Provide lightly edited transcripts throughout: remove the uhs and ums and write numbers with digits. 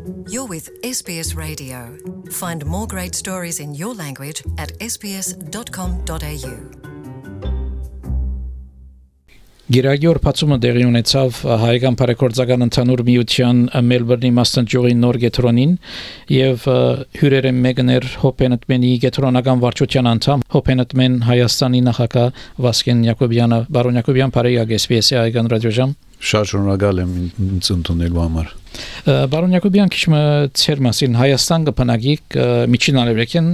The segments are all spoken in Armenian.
You're with SBS Radio. Find more great stories in your language at sbs.com.au. Գիրագյուր փացումը դեղի ունեցավ հայկական բարեգործական ընդհանուր միության Մելբուրնի մասնաճյուղի նոր գետրոնին եւ հյուրերը մեկներ Հոփենտմենի գետրոնական վարչության անդամ Հոփենտմեն Հայաստանի նախագահ Վասկեն Յակոբյանը բարոն Յակոբյան բարեգ SBS-ի հայկական ռադիոժամ Շատ շնորհակալ եմ ինձ ընդունելու համար Բարոն Յակոբյան քիչ ծեր մասին Հայաստան կփնագիկ միջին արևելքին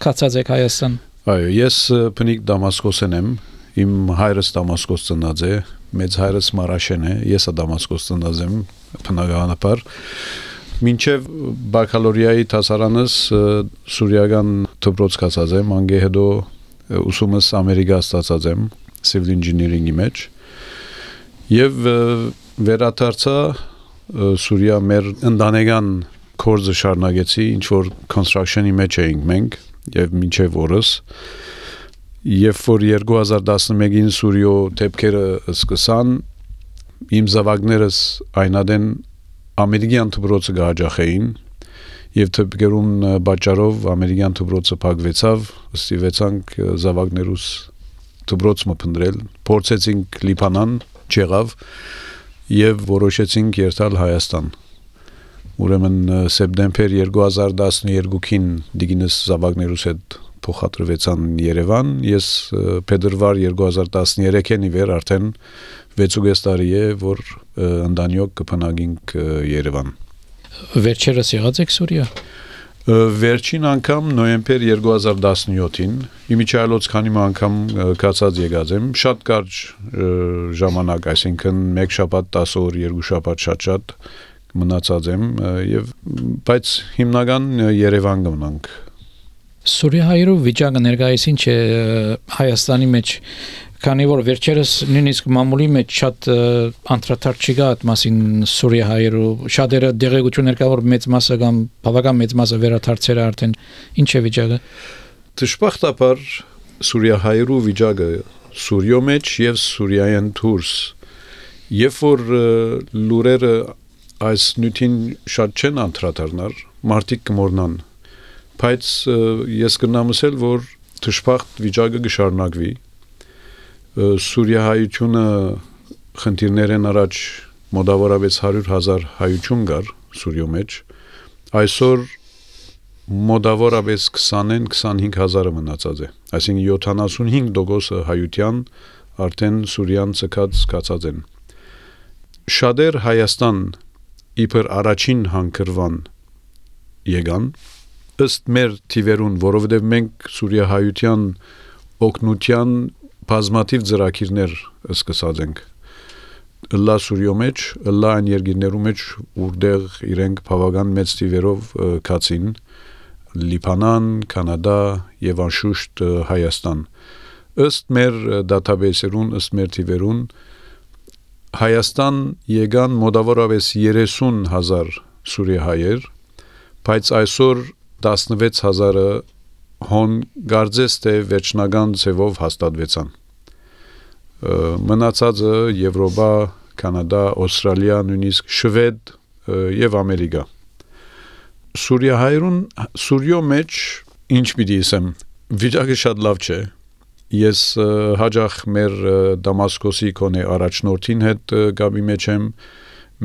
կացած եք Հայաստան Այո ես փնիկ Դամասկոսեն եմ Իմ հայրս Դամասկոս ծնած է, մեծ հայրս Մարաշեն է, ես Դամասկոս ծնած եմ, բնականաբար։ Մինչև բակալորիայի դասարանս սուրիական դպրոց կացած եմ, անգե հետո ուսումս Ամերիկա ստացած եմ, civil engineering-ի մեջ։ Եվ վերադարձա Սուրիա մեր ընտանեկան կորձը շարունակեցի, ինչ որ construction-ի մեջ էինք մենք, եւ մինչև օրս Երբ որ 2011-ին Սուրիո դեպքերը սկսան, իմ զավակներս այնադեն ամերիկյան դպրոցը գահաջախեին եւ դեպքերուն պատճառով ամերիկյան դպրոցը փակվեցավ, ստիվեցանք զավակներուս դպրոցը փնտրել, փորձեցինք Լիբանան, չեղավ եւ որոշեցինք երթալ Հայաստան։ Ուրեմն սեպտեմբեր 2012-ին դիգինս զավակներուս հետ փոխադրվեցան Երևան, ես փետրվար 2013-ին իվեր արդեն 6.5 տարի է, որ ընդանյոք կփնագինք Երևան։ Վերջերս եղած եք Սուրիա։ Վերջին անգամ նոյեմբեր 2017-ին, իմիջայլոց քանի անգամ կացած եկած եմ, շատ կարճ ժամանակ, այսինքն 1 շաբաթ 10 օր, 2 շաբաթ շատ մնացած եմ, եւ բայց հիմնական Երևան գնանք։ Սուրիայում վիճակը ներկայիս ինչ է Հայաստանի մեջ քանի որ վերջերս նույնիսկ մամուլի մեջ շատ անդրադարձ չկա այդ մասին Սուրիայում շատերը դեղեցություններ կա որ մեծ մասը կամ բավական մեծ մասը վերադարձել է արդեն ինչ է վիճակը Դժբախտաբար Սուրիայում վիճակը Սուրիո մեջ եւ Սուրիայեն դուրս երբ որ լուրերը այս նյութին շատ չեն անդրադառնար մարդիկ կմոռնան Բայց ես կնամ ասել, որ դժբախտ վիճակը կշարունակվի։ Սուրիայությունը խնդիրներեն առաջ մոտավորապես 100,000 հայություն կար Սուրիո մեջ։ Այսօր մոտավորապես 20-25,000 մնացած է։ Այսինքն 75% հայության արդեն Սուրիան ցկած են։ Շատեր Հայաստան իբր առաջին հանգրվան եկան ըստ մեր թիվերուն, որովհետև մենք Սուրիայահայության օգնության բազմաթիվ ծրագիրներ սկսած ենք։ Լա Սուրիո մեջ, լա այն երկրներու մեջ, որտեղ իրենք բավական մեծ թիվերով կացին, Լիբանան, Կանադա եւ անշուշտ Հայաստան։ Ըստ մեր դատաբեյսերուն, ըստ մեր թիվերուն, Հայաստան եկան մոտավորապես 30,000 սուրիահայեր, բայց այսօր 16,000-ը հոն գարձես թե վերջնական ձևով հաստատվեցան։ Մնացածը Եվրոպա, Կանադա, Ավստրալիա, նույնիսկ Շվեդ եւ Ամերիկա։ Սուրիո մեջ ինչ պիտի ասեմ, վիճակը շատ լավ չէ։ Ես հաջող մեր Դամասկոսի կոնե առաջնորդին հետ գաբի մեջ եմ,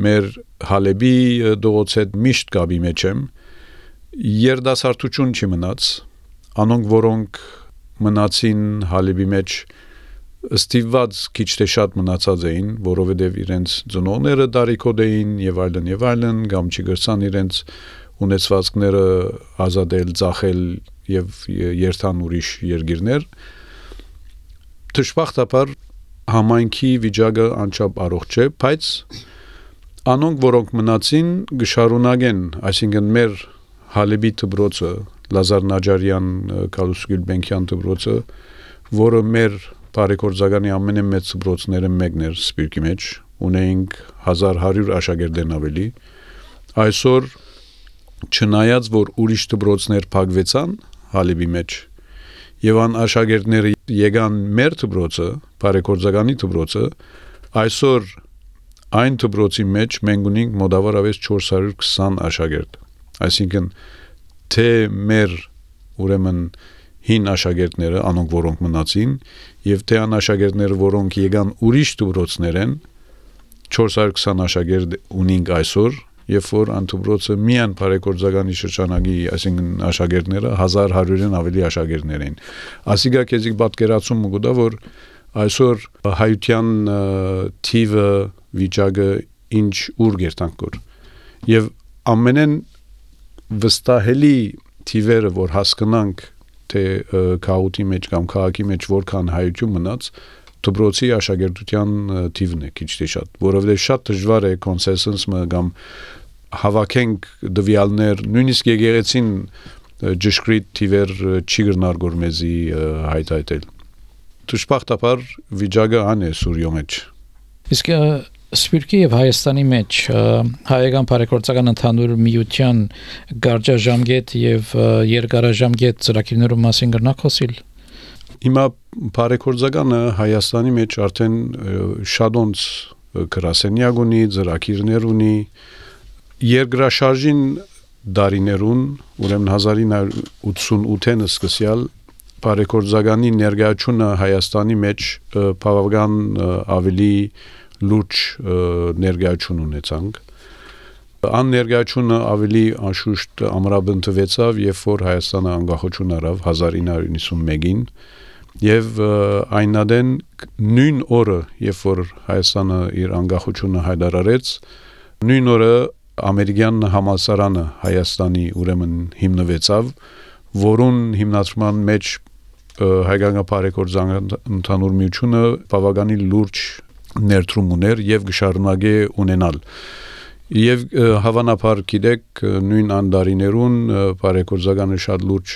մեր Հալեբի դողոց հետ միշտ գաբի մեջ եմ։ Երդասարտություն չի մնաց, անոնք որոնք մնացին Հալեբի մեջ ստիված քիչ թե շատ մնացած էին, որովհետև իրենց ծնողները դարիքոդ էին եւ այլն, կամ չգրցան իրենց ունեցվածքները ազատել, ծախել եւ երթան ուրիշ երկիրներ։ Դժբախտաբար համայնքի վիճակը անչափ առողջ չէ, բայց անոնք որոնք մնացին գշարունակեն, այսինքն մեր Հալեբի դպրոցը, Լազար Նաջարյան, Կալուս Գյուլբենկյան դպրոցը, որը մեր բարեգործականի ամենամեծ դպրոցները մեկն էր Սպիրկի մեջ, ունեինք 1100 աշակերտներ ավելի։ Այսօր չնայած որ ուրիշ դպրոցներ փակվեցան Հալեբի մեջ, եւ ան աշակերտները եկան մեր դպրոցը, բարեգործականի դպրոցը, այսօր Այն դպրոցի մեջ մենք ունենք մոտավորապես 420 աշակերտ։ Այսինքն թե մեր ուրեմն հին աշակերտները, անոնք որոնք մնացին, եւ թե այն աշակերտները, որոնք եկան ուրիշ դպրոցներ են, 420 աշակերտ ունենք այսօր, երբ որ անտուբրոցը միան բարեգործականի շրջանագի, այսինքն աշակերտները 1100-ն ավելի աշակերտներ են։ Ասիկա քեզիկ պատկերացում կուտա, որ այսօր հայության թիվը վիճակը ինչ ուր գերտանքոր։ Եվ ամենեն վստահելի թիվերը, որ հասկանանք թե քաղաքի մեջ կամ քաղաքի մեջ որքան հայություն մնաց, դպրոցի աշակերտության թիվն է քիչ թե շատ, որովհետև շատ դժվար է կոնսենսուսը կամ հավաքենք դվյալներ, նույնիսկ եկեղեցին ճշգրիտ թիվեր չի գնարգոր մեզի հայտայտել։ Դժբախտաբար վիճակը ան է Սուրյո մեջ։ Իսկ Սփյուռքի եւ Հայաստանի մեջ հայկական բարեգործական ընդհանուր միության գարաժամկետ եւ երկարաժամկետ ծրագրերու մասին կրնակոսիլ։ Հիմա բարեգործականը Հայաստանի մեջ արդեն շատոնց գրասենյակ ունի, ծրագրեր ունի, երկրաշարժին դարիներուն, ուրեմն 1988-ին սկսյալ բարեգործականի ներկայությունը Հայաստանի մեջ բավական ավելի լուրջ ներկայություն ունեցանք։ Ան ներկայությունը ավելի անշուշտ ամրապնդվեցավ, երբ որ Հայաստանը անկախություն առավ 1991-ին, եւ այնադեն նույն օրը, երբ որ Հայաստանը իր անկախությունը հայտարարեց, նույն օրը ամերիկյան համալսարանը Հայաստանի ուրեմն հիմնվեցավ, որուն հիմնադրման մեջ հայկական բարեգործական ընդհանուր միությունը բավականին լուրջ ներդրում ուներ եւ գշարունակե ունենալ։ Եվ հավանաբար գիտեք նույն անդարիներուն բարեգործականը շատ լուրջ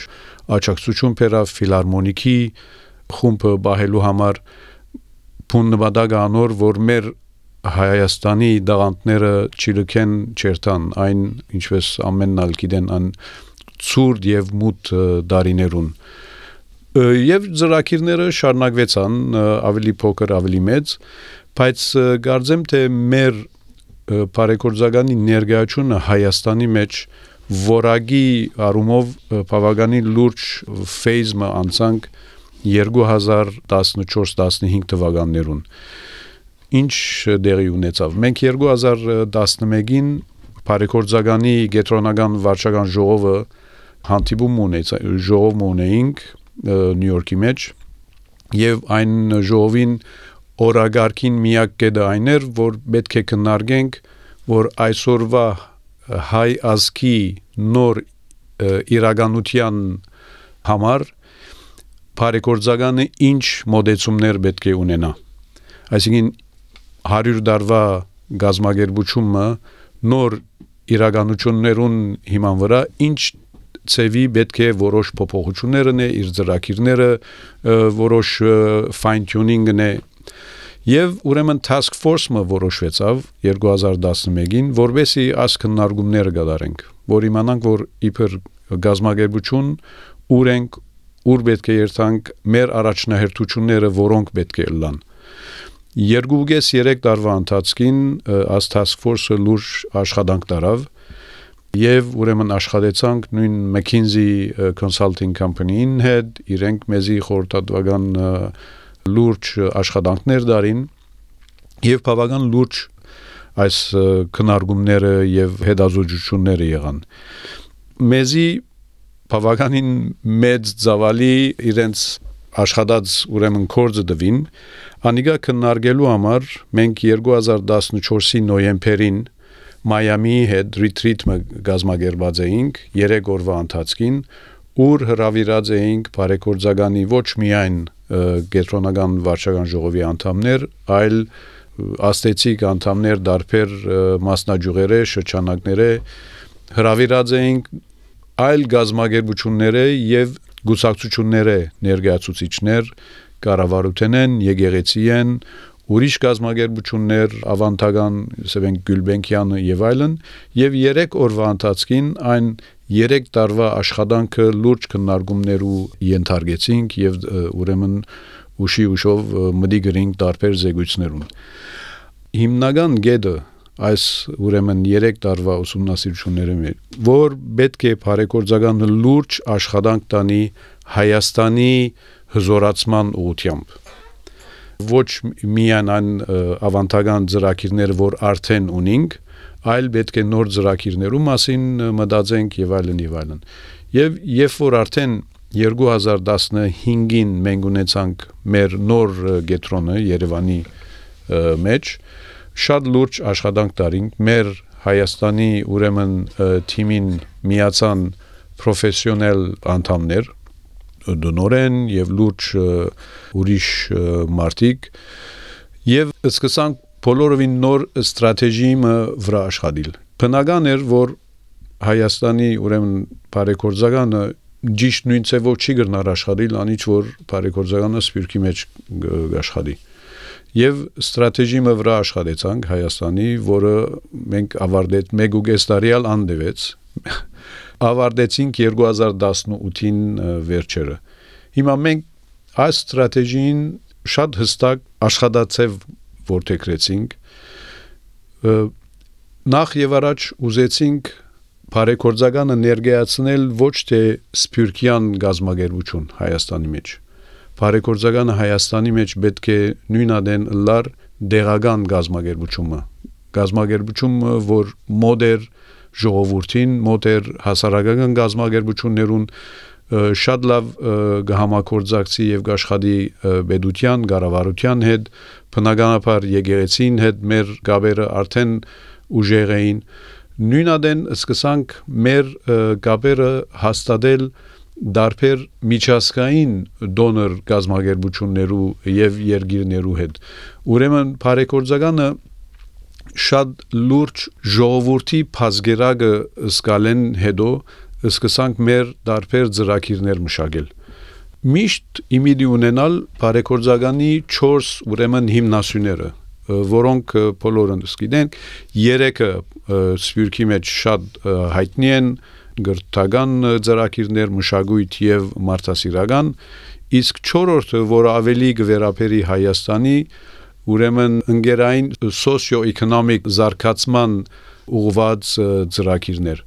աջակցություն բերավ ֆիլհարմոնիկի խումբը բահելու համար փուննվադագ անոր, որ մեր Հայաստանի դաղանտները չլքեն չերտան, այն ինչպես ամենն ալ գիտեն ան ցուրտ եւ մութ դարիներուն։ Եվ ծրագիրները շարունակվեցան ավելի փոքր, ավելի մեծ, բայց կարծեմ թե մեր բարեգործականի ներկայությունը Հայաստանի մեջ որակի առումով բավականին լուրջ ֆեյզը անցանք 2014-15 թվականներուն։ Ինչ դերի ունեցավ։ Մենք 2011-ին բարեգործականի գետրոնական վարչական ժողովը հանդիպում ունեինք Նյու Յորքի մեջ եւ այն ժողովին օրագարկին միակ կետը այն էր, որ պետք է քննարկենք, որ այսօրվա հայ ազգի նոր իրականության համար բարեգործականը ինչ մոդեցումներ պետք է ունենա։ Այսինքն 100 տարվա գազագերբությունը նոր իրականություններուն հիման վրա ինչ ծևի պետք է որոշ փոփոխություններն է, իր ծրագիրները որոշ fine tuning-ն է եւ ուրեմն task force-ը որոշվեցավ 2011-ին, որովհետեւ այս քննարկումները կատարենք, որ իմանանք, որ իբր գազագերբություն ուր ենք, ուր պետք է երթանք, մեր առաջնահերթությունները որոնք պետք է լան։ 2-3 տարվա ընթացքին այս task force-ը լուրջ աշխատանք տարավ եւ ուրեմն աշխատեցանք նույն McKinsey Consulting Company-ին հետ, իրենք մեզի խորհրդատվական լուրջ աշխատանքներ դարին եւ բավական լուրջ այս քննարկումները եւ հետազոտությունները եղան։ Մեզի բավականին մեծ ծավալի իրենց աշխատած ուրեմն կորձը դվին, անիկա քննարկելու համար մենք 2014-ի նոյեմբերին Մայամիի հետ ռիթրիթը գազմագերբած էինք 3 օրվա ընթացքին, ուր հրավիրած էինք բարեգործականի ոչ միայն գետրոնական վարչական ժողովի անդամներ, այլ աստեցիկ անդամներ դարբեր մասնաճյուղերը, շրջանակները հրավիրած էինք այլ գազմագերբությունները եւ գուսակցությունները ներկայացուցիչներ, կառավարութենեն, եկեղեցիեն, ուրիշ գազմագերբություններ, ավանդական Սևեն Գյուլբենկյանը եւ այլն, եւ 3 օրվա ընթացքին այն 3 տարվա աշխատանքը լուրջ քննարկումներու ենթարկեցինք եւ ուրեմն ուշով մտի գրինք տարբեր զեկույցներուն։ հիմնական գեդը այս ուրեմն 3 տարվա ուսումնասիրությունները որ պետք է բարեգործական լուրջ աշխատանք տանի Հայաստանի հզորացման ուղղությամբ ոչ միայն այն ավանդական ծրագիրները որ արդեն ունենք այլ պետք է նոր ծրագիրներու մասին մտածենք եւ այլն եւ այլն եւ երբ որ արդեն 2015-ին մենք ունեցանք մեր նոր գետրոնը Երևանի մեջ շատ լուրջ աշխատանք տարինք մեր Հայաստանի ուրեմն թիմին միացան պրոֆեսիոնալ անդամներ դոնորեն եւ լուրջ ուրիշ մարտիկ եւ սկսանք բոլորովին նոր ստրատեգիա վրա աշխատել բնական էր որ Հայաստանի ուրեմն բարեգործականը ճիշտ նույն ծավալով չի գնար աշխատել անիչ որ բարեգործականը սպիրկի մեջ աշխատի Եվ ստրատեգիա վրա աշխատեցանք Հայաստանի, որը մենք ավարտեց 1.5 տարի անդևեց, ավարտեցինք 2018-ին վերջերը։ Հիմա մենք այս ստրատեգիին շատ հստակ աշխատացավ որդեգրեցինք, նախ եւ առաջ ուզեցինք բարեգործականը ներկայացնել ոչ թե սփյուռքյան գազագերբություն Հայաստանի մեջ Բարեգործականը Հայաստանի մեջ պետք է նույնադեն լար դեղական գազագերբությունը, որ մոդեր ժողովրդին, մոդեր հասարակական գազագերբություններուն շատ լավ գահամակորձակցի եւ գաշխատի պետության, կառավարության հետ, բնականաբար եկեղեցին հետ մեր գաբերը արդեն ուժեղ էին։ Նույնադեն սկսանք մեր գաբերը հաստատել դարբեր միջազգային դոնոր գազագերբություններու եւ երկիրներու հետ ուրեմն բարեգործականը շատ լուրջ ժողովրդի բազգերակը սկալեն հետո սկսանք մեր դարբեր ծրագիրներ մշակել միշտ իմիդի ունենալ բարեգործականի 4 ուրեմն հիմնասյուները որոնք բոլորն գիտենք 3-ը սպյուրքի մեջ շատ հայտնի են գրթական ծրագիրներ մշակույթ եւ մարդասիրական իսկ 4-րդը որ ավելի գվերապերի Հայաստանի ուրեմն ընկերային սոցիո-էկոնոմիկ զարգացման ուղղված ծրագիրներ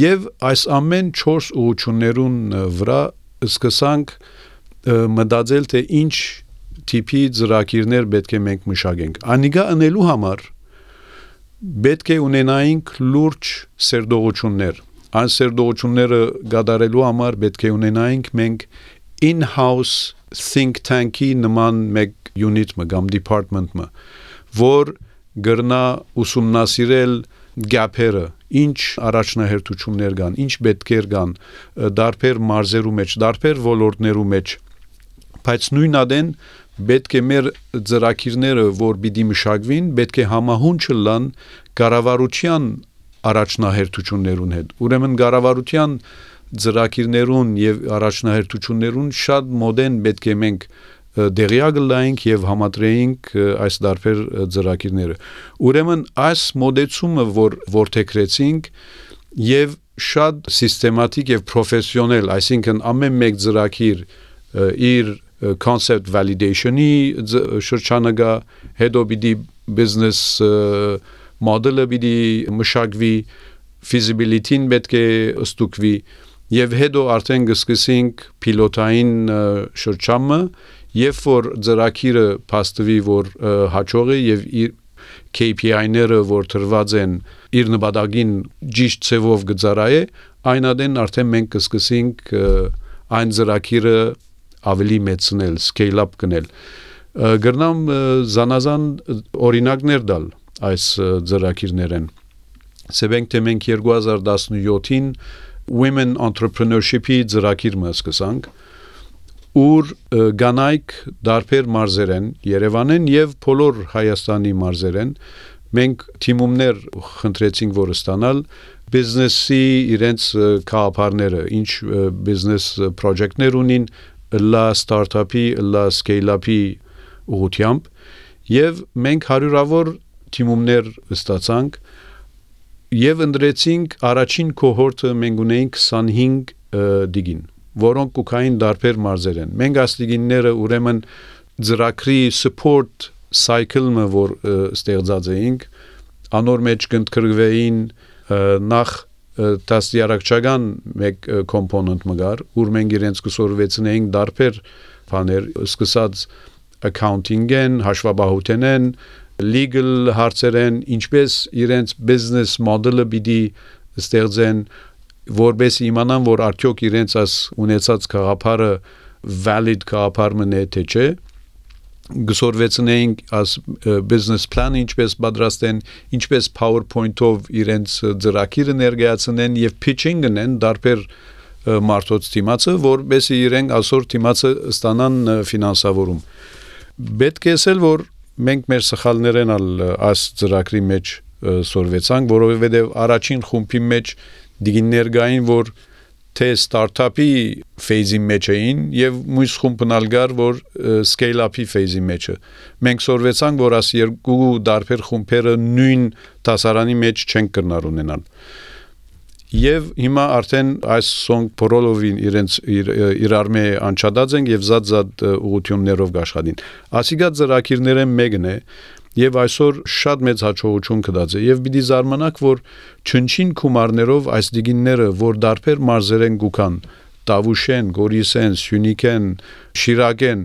եւ այս ամեն 4 ուղղություններուն վրա սկսանք մտածել թե ինչ տիպի ծրագիրներ պետք է մենք մշակենք անիգա անելու համար պետք է ունենայինք լուրջ սերտողություններ Այն սերտողությունները գադարելու համար պետք է ունենայինք մենք in-house think tank-ի նման մեկ unit-ը կամ department-ը, որ գրնա ուսումնասիրել գապերը, ինչ առաջնահերթություններ կան, ինչ պետքեր կան, դարբեր մարզերու մեջ, դարբեր ոլորտներու մեջ, բայց նույնադեն պետք է մեր ծրագիրները, որ պիտի մշակվին, պետք է համահունչ լան կառավարության առաջնահերթություններուն հետ ուրեմն կառավարության ծրագիրներուն եւ առաջնահերթություններուն շատ մոդեն պետք է մենք դերյակ լայինք եւ համատրեինք այս դարբեր ծրագիրները ուրեմն այս մոդեցումը որ որդեգրեցինք եւ շատ սիստեմատիկ եւ պրոֆեսիոնալ այսինքն ամեն մեկ ծրագիր իր concept validation-ի շրջանագա հետո պիտի business model-ը պիտի մշակվի feasibility-ին պետք է ստուգվի եւ հետո արդեն կսկսենք պիլոտային շրջանը եւ որ ծրագիրը փաստվի որ հաջող է եւ իր KPI-ները որ տրված են իր նպատակին ճիշտ ծավալով գծարայե այնադեն արդեն մենք կսկսենք այն ծրագիրը ավելի մեծնել scale up կնել գրնամ զանազան օրինակներ տալ այս ծրագիրներեն Սեբենք թե մենք 2017-ին Women Entrepreneurship-ի ծրագիր սկսանք ուր գանայք դարբեր մարզերեն Երևանեն եւ բոլոր Հայաստանի մարզերեն մենք թիմումներ խնդրեցինք որ ստանալ բիզնեսի իրենց կապարները ինչ բիզնես պրոջեկտներ ունին լա ստարտափի լա սկեյլ-ափի ուղղությամբ եւ մենք հարյուրավոր թիմումներ ստացանք եւ ընդրեցինք առաջին կոհորտը մենք ունեինք 25 դիգին որոնք կուքային դարբեր մարզեր են մենք այս դիգինները ուրեմն ծրագրի support cycle-ը որ ստեղծած էինք անոր մեջ կընտրվեին նախ տասյարակչական մեկ component մգար ուր մենք իրենց կսորվեցնեինք դարբեր բաներ սկսած accounting-են հաշվաբահութենեն legal հարցերեն ինչպես իրենց business model-ը պիտի ստեղծեն որպես իմանան որ արդյոք իրենց as ունեցած գաղափարը valid գաղափար մնե թե չէ գսորվեցնեինք as business plan ինչպես պատրաստեն ինչպես PowerPoint-ով իրենց ծրագիրը ներկայացնեն եւ pitching-ն են դարբեր մարդոց թիմացը որպեսզի իրենք այսօր թիմացը ստանան ֆինանսավորում պետք է ասել որ մենք մեր սխալներն այս ծրագրի մեջ սորվեցանք որովհետեւ առաջին խումբի մեջ դիգիներգային որ թե ստարտափի ֆեյզի մեջ էին եւ մյուս խումբն ալգար որ scale up-ի ֆեյզի մեջը մենք սորվեցանք որ աս երկու դարբեր խումբերը նույն դասարանի մեջ չեն կրնար ունենալ եւ հիմա արդեն այս սոնգ փորոլովին իրար մե անչադած են եւ զատ ուղություններով աշխատին ասիգա ծրագիրները մեկն է եւ այսօր շատ մեծ հաջողություն կդած է եւ պիտի զարմանաք որ չնչին գումարներով այս դիգինները որ դարբեր մարզերեն գուքան Տավուշեն, Գորիսեն, Սյունիքեն, Շիրակեն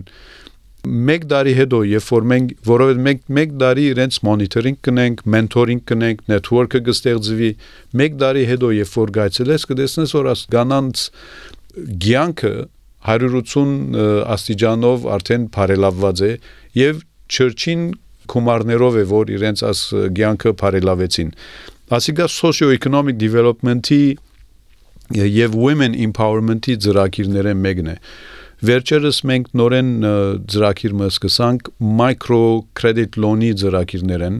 մեկ տարի հետո երբ որ մենք որովհետեւ մեկ տարի իրենց մոնիտորինգ կնենք, մենթորինգ կնենք, նեթվորքը կստեղծվի մեկ տարի հետո երբ որ գայցելես կտեսնես որ աս գանանց գյանքը 180 աստիճանով արդեն բարելավված է եւ չրչին կումարներով է որ իրենց աս գյանքը բարելավեցին ասիկա socio-economic development-ի եւ women empowerment-ի ծրագիրները մեկն է վերջերս մենք նորեն ծրագիր սկսանք micro credit loan-ի ծրագիրներն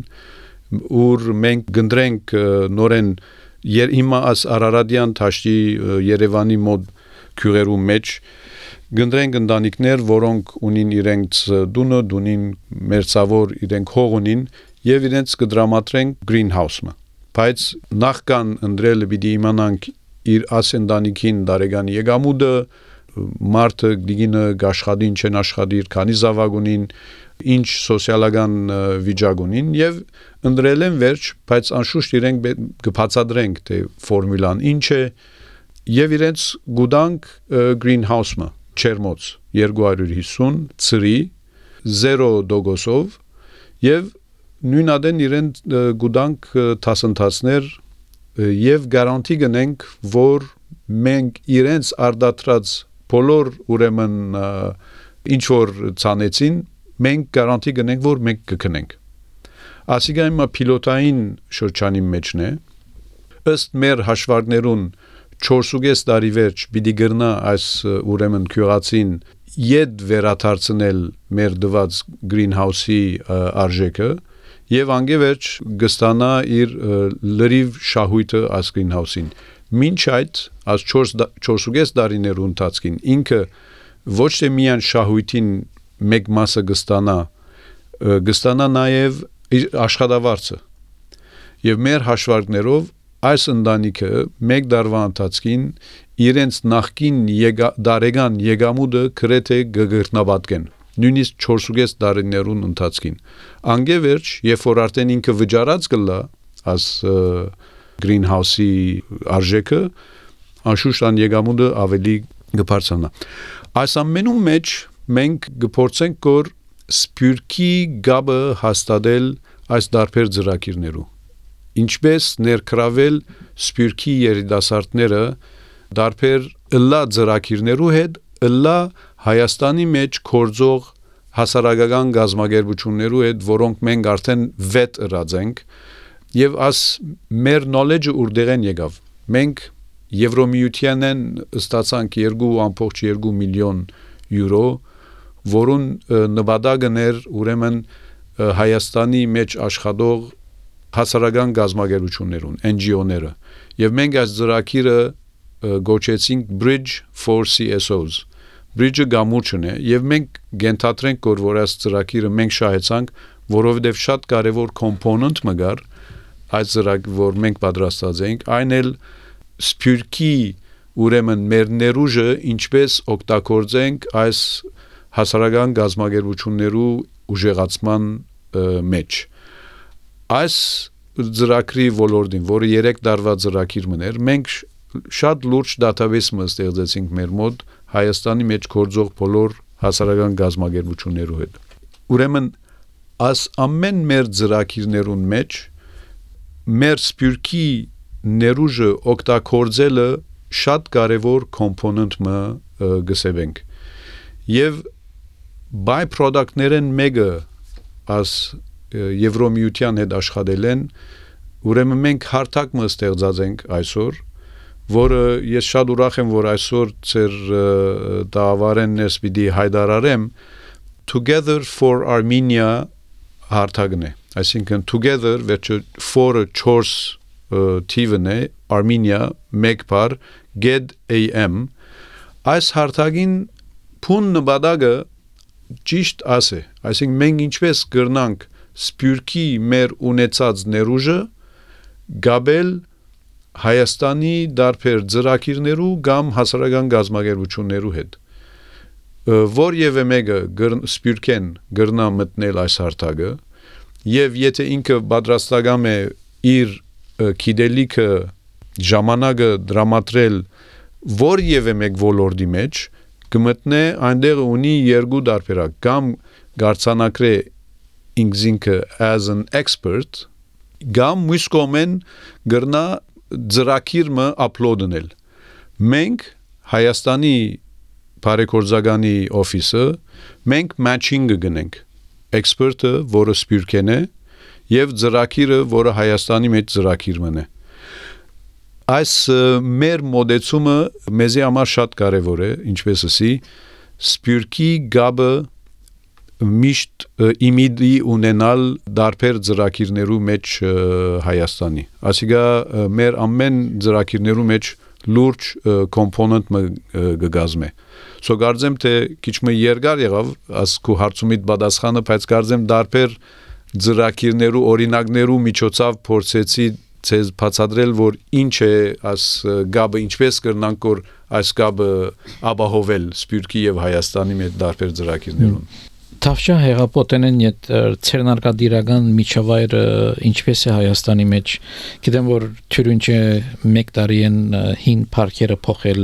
ուր մենք գնդրենք նորեն հիմա աս Արարատյան Թաշտի Երևանի մոտ քյուրերու մեջ գնդրենք ընտանիքներ որոնք ունին իրենց դունին մերձավոր իրենք հող ունին եւ իրենց կդրամատրենք greenhouse-ը բայց նախքան ընդրել պիտի իմանանք իր ասենտանիքին դարեգան եկամուտը մարդը դիգինը աշխատին չեն աշխատիր քանի զավակ ունին ինչ սոցիալական վիճակ ունին եւ ընդրել են վերջ բայց անշուշտ իրենք կբացատրենք թե ֆորմուլան ինչ է եւ իրենց գուտանք greenhouse-ը չերմոց 250 ծրի 0% եւ նույնադեն իրեն գուտանք տասնտասներ եւ գարանտի գնենք որ մենք իրենց արդատրած բոլոր ուրեմն ինչ որ ցանեցին մենք գարանտի գնենք որ մենք կգնենք ասիկա հիմա պիլոտային շրջանի մեջն է ըստ մեր հաշվարկներուն 4.5 տարի վերջ պիտի գրնա այս ուրեմն քյուրացին իդ վերաթարցնել մեր դված greenhouse-ի արժեքը եւ անգևերջ գստանա իր լրիվ շահույթը այս greenhouse-ին մինչ այդ as 4.5 տարիներ ընթացքին ինքը ոչ թե միան շահույթին մեկ մասը գստանա նաեւ աշխատավարձը եւ մեր հաշվարկներով այս ընտանիքը մեկ դարվա ընթացքին իրենց նախկին դարեգան եկամուտը գրեթե գգրտնաբատկեն նույնիսկ 4.5 տարիներուն ընթացքին անգևերջ երբ որ արդեն ինքը վճարած կլա as greenhouse-ի արժեքը անշուշտ ան եկամուտը ավելի կբարձրանա այս ամենու մեջ մենք կփորձենք որ սփյուռքի գաբը հաստատել այս դարբեր ծրագիրներու ինչպես ներկրավել սփյուռքի երիտասարդները դարբեր ըլլա ծրագիրներու հետ ըլլա Հայաստանի մեջ կորձող հասարակական գազագերբություններու հետ որոնք մենք արդեն վետ ըրած եւ աս մեր knowledge-ը ուրդեղեն եկավ մենք Եվրոմիությանեն ստացանք 2.2 միլիոն եվրո որուն նպատակն էր ուրեմն Հայաստանի մեջ աշխատող հասարակական գազագերբություններուն NGO-ները եւ մենք այս ծրագիրը գոչեցինք Bridge for CSOs Bridge-ը գամուրջն է եւ մենք գենթատրենք որ այս ծրագիրը մենք շահեցանք որովհետեւ շատ կարեւոր component մգար այս ծրագիրը որ մենք պատրաստած ենք այն էլ սփյուռքի ուրեմն մեր ներուժը ինչպես օգտագործենք այս հասարակական գազագերբություններու ուժեղացման մեջ այս ծրագրի ոլորտին, որը 3 տարվա ծրագիր մներ, մենք շատ լուրջ database ստեղծեցինք մեր մոտ Հայաստանի մեջ գործող բոլոր հասարակական գազམ་ագերբություններու հետ։ Ուրեմն այս ամեն մեր ծրագիրներուն մեջ մեր սպյուրքի ներուժը օգտագործելը շատ կարևոր կոմպոնենտ մը գսեվենք։ Եվ by-product-ներեն մեկը as Եվրոմիության հետ աշխատել են, ուրեմն մենք հարթակ մը ստեղծած ենք այսօր, որը ես շատ ուրախ եմ, որ այսօր ծեր դավարեն ես պիտի հայտարարեմ Together for Armenia հարթակն է, այսինքն Together վերջը for 4 թիվն է, Armenia մեկ բառ get am այս հարթակին փուն նպատակը ճիշտ ասե, այսինքն մենք ինչպես կրնանք սպյուրքի մեր ունեցած ներուժը գաբել Հայաստանի դարբեր ծրագիրներու կամ հասարակական գազམ་ագերբություններու հետ որևէ մեկը սպյուրքեն գրնա մտնել այս հարթակը եւ եթե ինքը պատրաստական է իր գիտելիքը ժամանակը դրամատրել որևէ մեկ ոլորտի մեջ կմտնե այնտեղ ունի երկու դարբերակ կամ գարցանակրե ինքզինքը as an expert կամ մյուս կողմեն գրնա ծրագիրը upload-նել մենք Հայաստանի բարեգործականի օֆիսը մենք matching-ը գնենք expert-ը որը սպյուրքեն է եւ ծրագիրը որը Հայաստանի մեջ ծրագիրն է այս մեր մոդեցումը մեզի համար շատ կարևոր է ինչպես ասի սպյուրքի գաբը միշտ իմիդի ունենալ դարբեր ծրագիրներու մեջ Հայաստանի ասիկա մեր ամեն ծրագիրներու մեջ լուրջ կոմպոնենտ գգազմե so կարծեմ թե քիչ մը երկար եղավ ասկու հարցումիդ պատասխանը բայց կարծեմ դարբեր ծրագիրներու օրինակներու միջոցով փորձեցի ցեզ բացատրել որ ինչ է այս գաբը ինչպես կրնանք որ այս գաբը ապահովել սպյուրքի եւ Հայաստանի մեջ դարբեր ծրագիրներուն Թավշա հեղափոխեն այդ ցերնարկադիրական միջավայրը ինչպես է Հայաստանի մեջ գիտեմ որ թյուրինչը 1 տարի են հին парքերը փոխել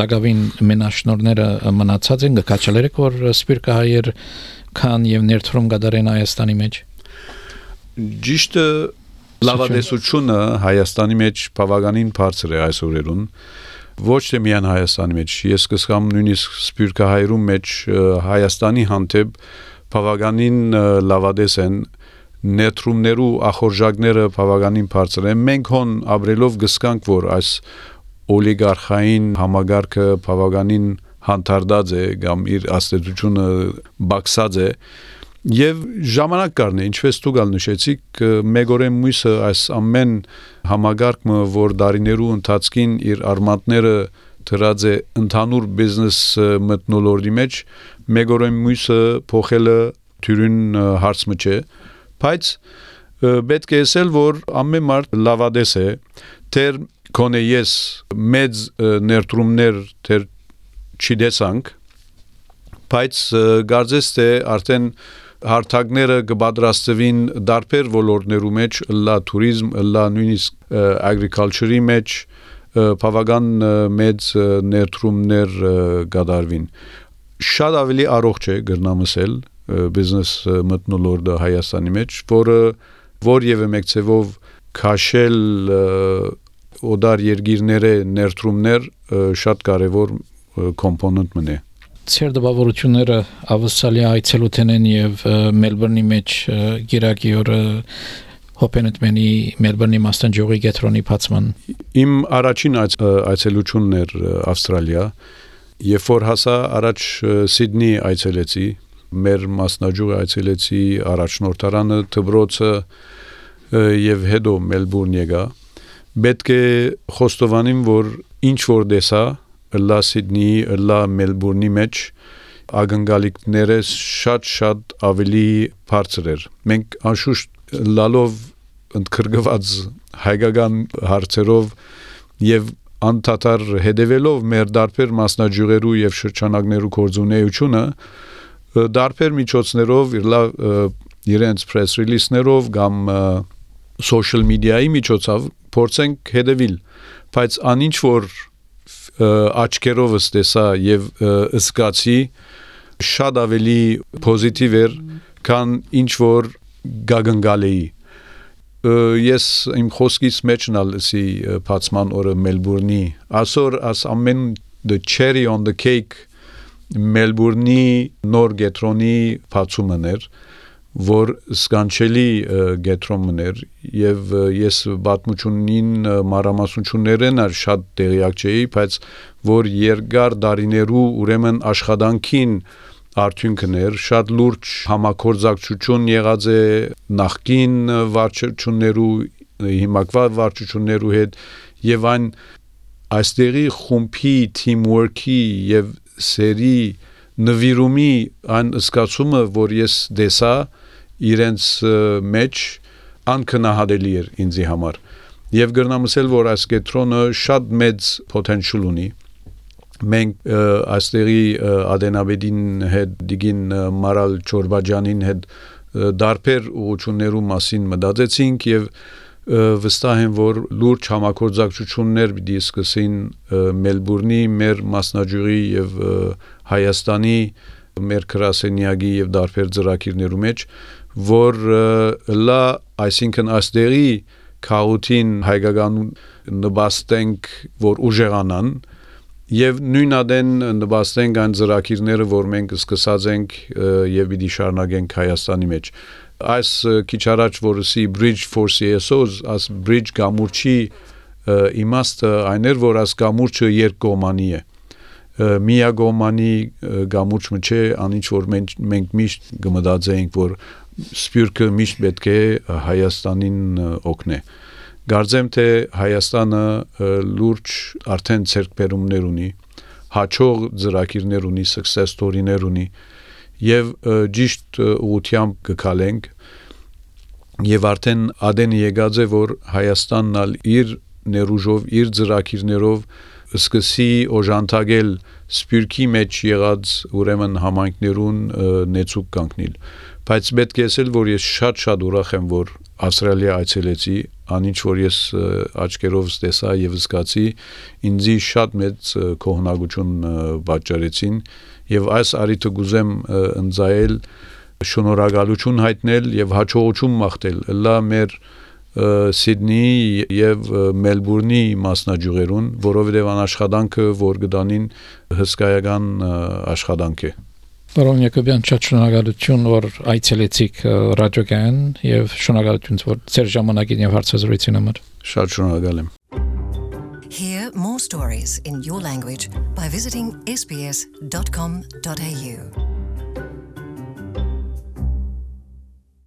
դակավին մենաշնորները մնացած են գկաչալերը որ սպյուրքը հայեր քան եւ ներդրում գդարեն Հայաստանի մեջ Ճիշտը լավադեսությունը Հայաստանի մեջ բավականին բարձր է այս օրերուն ոչ թե միայն Հայաստանի մեջ ես կսկամ նույնիսկ սպյուրքը հայրում մեջ Հայաստանի հանդեպ բավականին լավադես են ներդրումներու ախորժակները բավականին բարձր են մենք հոն ապրելով գսկանք որ այս օլիգարխային համագարկը բավականին հանդարտած է կամ իր աստեցությունը բացած է Եվ ժամանակ կառն է, ինչպես դուք նշեցիք, մեգորեն մույսը այս ամեն համագարկը, որ դարիներու ընթացքին իր արմատները դրած է ընդհանուր բիզնես մթնոլորտի մեջ, մեգորեն մույսը փոխելը թյուրին հարցը չէ, բայց պետք է ասել, որ ամեն մարդ լավադես է, թեր կոնե ես մեծ ներդրումներ թեր չդեսանք, բայց գարձես թե արդեն հարթակները կպատրաստվին դարբեր ոլորտներու մեջ, լա туриզմ, լա նույնիսկ agriculture-ի մեջ բավական մեծ ներդրումներ կդարվին։ Շատ ավելի առողջ է գրնամսել բիզնես մթնոլորտը Հայաստանի մեջ, որը որևէ մեկ ցևով քաշել օդար երկիրները ներդրումներ շատ կարևոր կոմպոնենտ մնե։ Ցեր դպավորությունները ավսալի այցելութեն են եւ Մելբուրնի մեջ գիրակի օրը հոպենտմենի Մելբուրնի մաստանջողի գետրոնի բացման Իմ առաջին այցելությունն էր Ավստրալիա երբ որ հասա առաջ Սիդնի այցելեցի մեր մասնաճյուղը այցելեցի առաջնորդարանը դբրոցը եւ հետո Մելբուրն եկա պետք է խոստովանեմ որ ինչ որ դեսա լա Սիդնի, լա Մելբուրնի մեջ ագնգալիքները շատ ավելի բարձր էր։ Մենք անշուշտ լալով ընդգրկված հայկական հարցերով եւ անդադար հետևելով մեր դարբեր մասնաճյուղերու եւ շրջանակներու կորձունեությունը դարբեր միջոցներով իր լավ իրենց press release-ներով կամ social media-ի միջոցով փորձենք հետևել, բայց անինչ որ աչքերովս տեսա եւ զգացի շատ ավելի պոզիտիվ էր, քան ինչ որ գագնգալեի։ Ես իմ խոսքից մեջն ալսի բացման օրը Մելբուրնի ասոր աս ամեն the cherry on the cake Մելբուրնի նոր գետրոնի բացումն էր, որ սկանչելի գետրոնն էր եւ ես պատմությունին մանրամասնություններն շատ տեղյակ չէի, բայց որ երկար դարիներու ուրեմն աշխատանքին արդյունքն էր, շատ լուրջ համագործակցություն եղած է նախկին վարչություններու, հիմակվա վարչություններու հետ եւ այն այստեղի խումբի teamwork-ի եւ սերի նվիրումի այն զգացումը, որ ես դեսա իրենց մեջ անկնահատելի էր ինձի համար եւ գրնամ ասել, որ այս կետրոնը շատ մեծ potential ունի մենք այստեղի Ադենաբեդին հետ դիգին Մարալ Չորբաջանին հետ դարբեր ուղղություններու մասին մտածեցինք եւ վստահ եմ, որ լուրջ համագործակցություններ պիտի սկսեն Մելբուրնի, մեր մասնաճյուղի եւ Հայաստանի, մեր գրասենյակի եւ դարբեր ծրագիրներու մեջ, որ լա, այսինքն այստեղի քաոթին հայկական նպաստենք, որ ուժեղանան եւ նույնադեն նպաստենք այն ծրագիրները, որ մենք սկսած ենք եւ պիտի շարունակենք Հայաստանի մեջ։ Այս քիչ առաջ որսի Bridge for CSOs, as Bridge գամուրջի իմաստը այն էր, որ այս գամուրջը երկկողմանի է։ Միագողմանի գամուրջը չէ, անինչ որ մենք միշտ կմտածեինք, որ սպյուրքը միշտ պետք է Հայաստանին օգնե։ Գարձեմ թե Հայաստանը լուրջ արդեն ցերկբերումներ ունի, հաջող ծրագիրներ ունի, success story-ներ ունի եւ ճիշտ ուղղությամբ կգալենք եւ արդեն ադեն եկած է, որ Հայաստանն ալ իր ներուժով, իր ծրագիրներով սկսի օժանդակել սպյուրքի մեջ եղած ուրեմն համայնքներուն նեցուկ կանգնել։ Բայց պետք է ասել, որ ես շատ ուրախ եմ, որ Ավստրալիա այցելեցի, անինչ որ ես աչքերով տեսա եւ զգացի, ինձի շատ մեծ կողմնակություն պատճառեցին եւ այս արիթը գուզեմ ընձայել շնորհակալություն հայտնել եւ հաջողություն մաղթել լա մեր Սիդնի եւ Մելբուրնի մասնաճյուղերուն, որովհետեւ անաշխատանքը որ գտանին հսկայական աշխատանք է։ Պարոն Յակոբյան, շատ շնորհակալություն, որ այցելեցիք ռադիոգան եւ շնորհակալություն, որ ձեր ժամանակին եւ հարցազրույցին համար։ Շատ շնորհակալ եմ։ Hear more stories in your language by visiting sbs.com.au.